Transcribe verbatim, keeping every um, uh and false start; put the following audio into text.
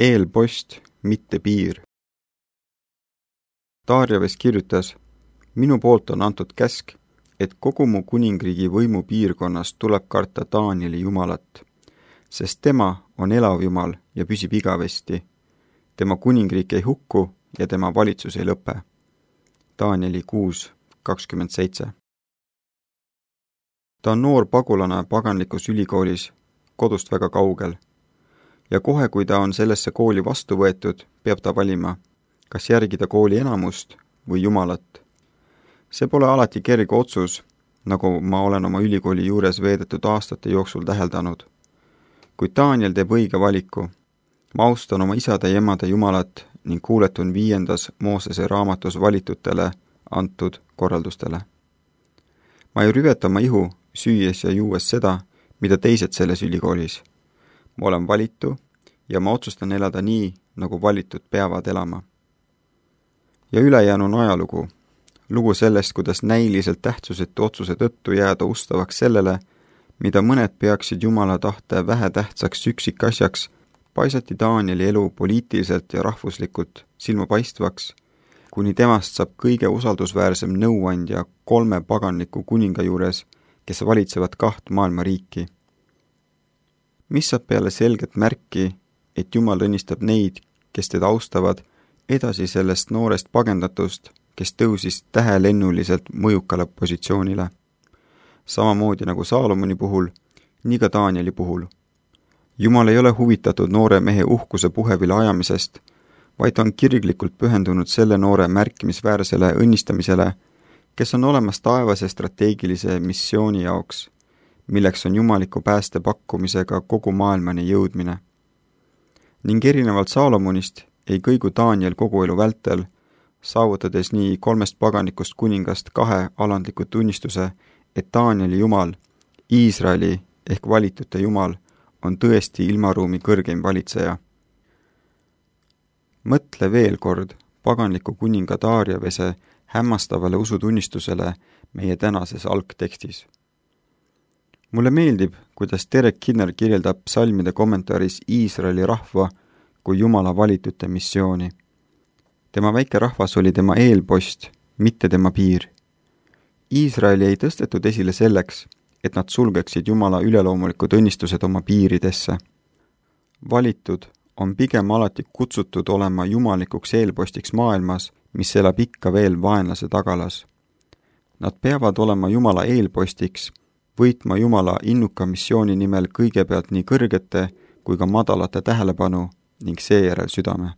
Eelpost, mitte piir. Darjaves kirjutas, minu poolt on antud käsk, et kogu mu kuningriigi võimu piirkonnas tuleb karta Danieli Jumalat, sest tema on elav Jumal ja püsib igavesti. Tema kuningriik ei hukku ja tema valitsus ei lõpe. Danieli kuus kakskümmend seitse. Ta on noor pagulane paganlikus ülikoolis, kodust väga kaugel. Ja kohe, kui ta on sellesse kooli vastu võetud, peab ta valima, kas järgida kooli enamust või Jumalat. See pole alati kerge otsus, nagu ma olen oma ülikooli juures veedetud aastate jooksul täheldanud. Kuid Daniel teeb õige valiku. Ma austan oma isade ja emade Jumalat ning kuuletun viiendas Moosese raamatus valitutele antud korraldustele. Ma ei rüveta oma ihu, süües ja juues seda, mida teised selles ülikoolis. Ma olen valitu ja ma otsustan elada nii, nagu valitud peavad elama. Ja ülejäänu on ajalugu. Lugu sellest, kuidas näiliselt tähtsusetu otsuse tõttu jääda ustavaks sellele, mida mõned peaksid Jumala tahte vähetähtsaks üksikasjaks, paisati Danieli elu poliitiliselt ja rahvuslikult silmapaistvaks, kuni temast saab kõige usaldusväärsem nõuandja kolme paganliku kuninga juures, kes valitsevad kaht maailma riiki. Mis saab peale selget märki, et Jumal õnnistab neid, kes teda austavad, edasi sellest noorest pagendatust, kes tõusis tähelennuliselt mõjukale positsioonile. Samamoodi nagu Saalomoni puhul, nii ka Danieli puhul. Jumal ei ole huvitatud noore mehe uhkuse puhevile ajamisest, vaid on kirglikult pühendunud selle noore märkimisväärsele õnnistamisele, kes on olemas taevase strateegilise missiooni jaoks, milleks on jumaliku pääste pakkumisega kogu maailmani jõudmine. Ning erinevalt Saalomonist ei kõigu Daniel kogu elu vältel, saavutades nii kolmest paganikust kuningast kahe alandliku tunnistuse, et Danieli Jumal, Iisraeli ehk valitute Jumal, on tõesti ilmaruumi kõrgeim valitseja. Mõtle veel kord paganliku kuninga Darjavese hämmastavale usutunnistusele meie tänases algtekstis. Mulle meeldib, kuidas Derek Kinner kirjeldab psalmide kommentaaris Iisraeli rahva kui Jumala valitute missiooni. Tema väike rahvas oli tema eelpost, mitte tema piir. Iisraeli ei tõstetud esile selleks, et nad sulgeksid Jumala üleloomulikud õnnistused oma piiridesse. Valitud on pigem alati kutsutud olema jumalikuks eelpostiks maailmas, mis elab ikka veel vaenlase tagalas. Nad peavad olema Jumala eelpostiks, võitma Jumala innuka missiooni nimel kõigepealt nii kõrgete kui ka madalate tähelepanu ning seejärel südame.